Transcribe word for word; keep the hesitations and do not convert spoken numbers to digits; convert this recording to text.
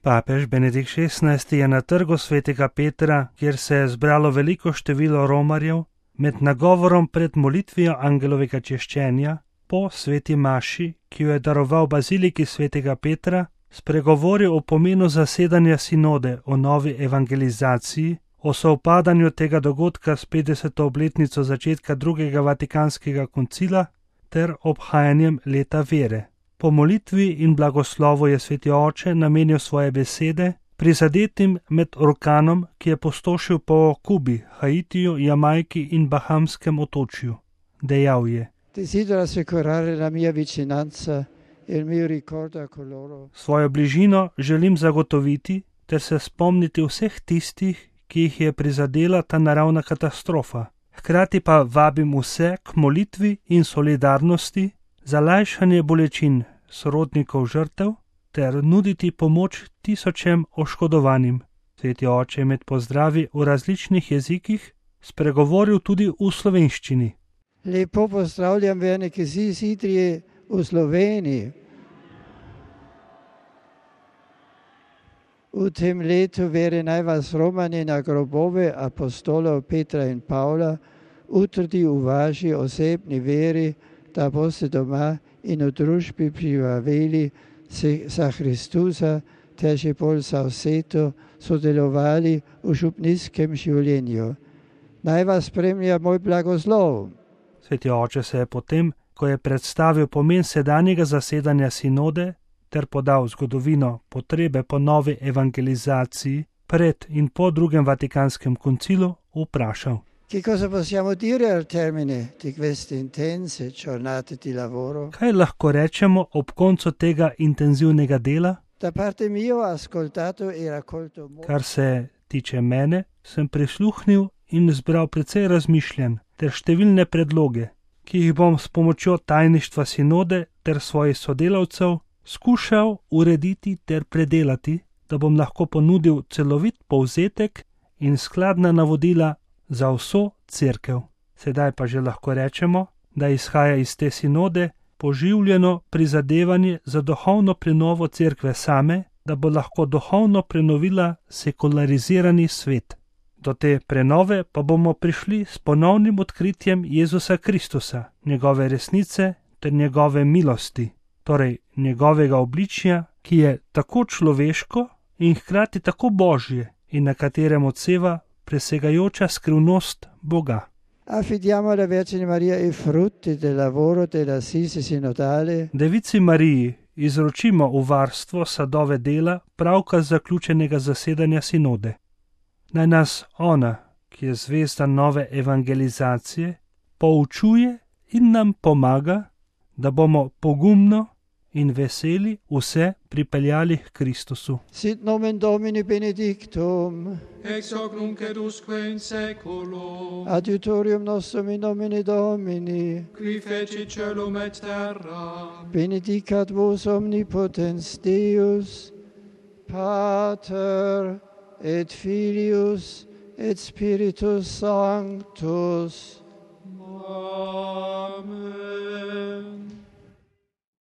Papež Benedikt šestnajsti je na trgu svetega Petra, kjer se je zbralo veliko število romarjev, med nagovorom pred molitvijo angelovega češčenja po sveti maši, ki jo je daroval baziliki svetega Petra, spregovoril o pomenu zasedanja sinode o novi evangelizaciji, o sovpadanju tega dogodka s petdeseto obletnico začetka drugega vatikanskega koncila ter obhajanjem leta vere. Po molitvi in blagoslovu je sveti oče namenil svoje besede prizadetim med orkanom, ki je pustošil po Kubi, Haitiju, Jamajki in Bahamskem otočju. Dejal je: Svojo bližino želim zagotoviti ter se spomniti vseh tistih, ki jih je prizadela ta naravna katastrofa. Hkrati pa vabim vse k molitvi in solidarnosti za lajšanje bolečin sorodnikov žrtev ter nuditi pomoč tisočem oškodovanim. Sveti oče je med pozdravi v različnih jezikih spregovoril tudi v slovenščini. Lepo pozdravljam vernike iz Idrije v Sloveniji. V tem letu vere naj vas Romani na grobove apostolov Petra in Pavla utrdi v vaši osebni veri, da boste doma in v družbi živeli za Hristusa ter še bolj za vseto sodelovali v župnijskem življenju. Naj vas spremlja moj blagoslov. Sveti oče se je potem, ko je predstavil pomen sedanjega zasedanja sinode ter podal zgodovino potrebe po novi evangelizaciji pred in po drugem vatikanskem koncilu, vprašal: Che cosa possiamo dire al termine di queste intense giornate di lavoro? Kaj lahko rečemo ob koncu tega intenzivnega dela? Da parte mio ho ascoltato e raccolto molto. Kar se tiče mene, sem prisluhnil in zbral precej razmišljanj ter številne predloge, ki jih bom s pomočjo tajništva sinode ter svojih sodelavcev skušal urediti ter predelati, da bom lahko ponudil celovit povzetek in skladna navodila za vso cerkev. Sedaj pa že lahko rečemo, da izhaja iz te sinode poživljeno prizadevanje za duhovno prenovo cerkve same, da bo lahko duhovno prenovila sekularizirani svet. Do te prenove pa bomo prišli s ponovnim odkritjem Jezusa Kristusa, njegove resnice ter njegove milosti, torej njegovega obličja, ki je tako človeško in hkrati tako božje in na katerem odseva presegajoča skrivnost Boga. Affidiamo alla Vergine Maria i frutti del lavoro dell'assise sinodale. Devici Mariji izročimo v varstvo sadove dela pravkar zaključenega zasedanja sinode. Naj nas ona, ki je zvezda nove evangelizacije, poučuje in nam pomaga, da bomo pogumno in veseli vse pripeljali k Kristusu. Sit nomen Domini benedictum. Ex hoc nunc et usque in seculum. Adiutorium nostrum in nomine Domini. Qui fecit caelum et terra. Benedicat vos omnipotens Deus, Pater et Filius et Spiritus Sanctus.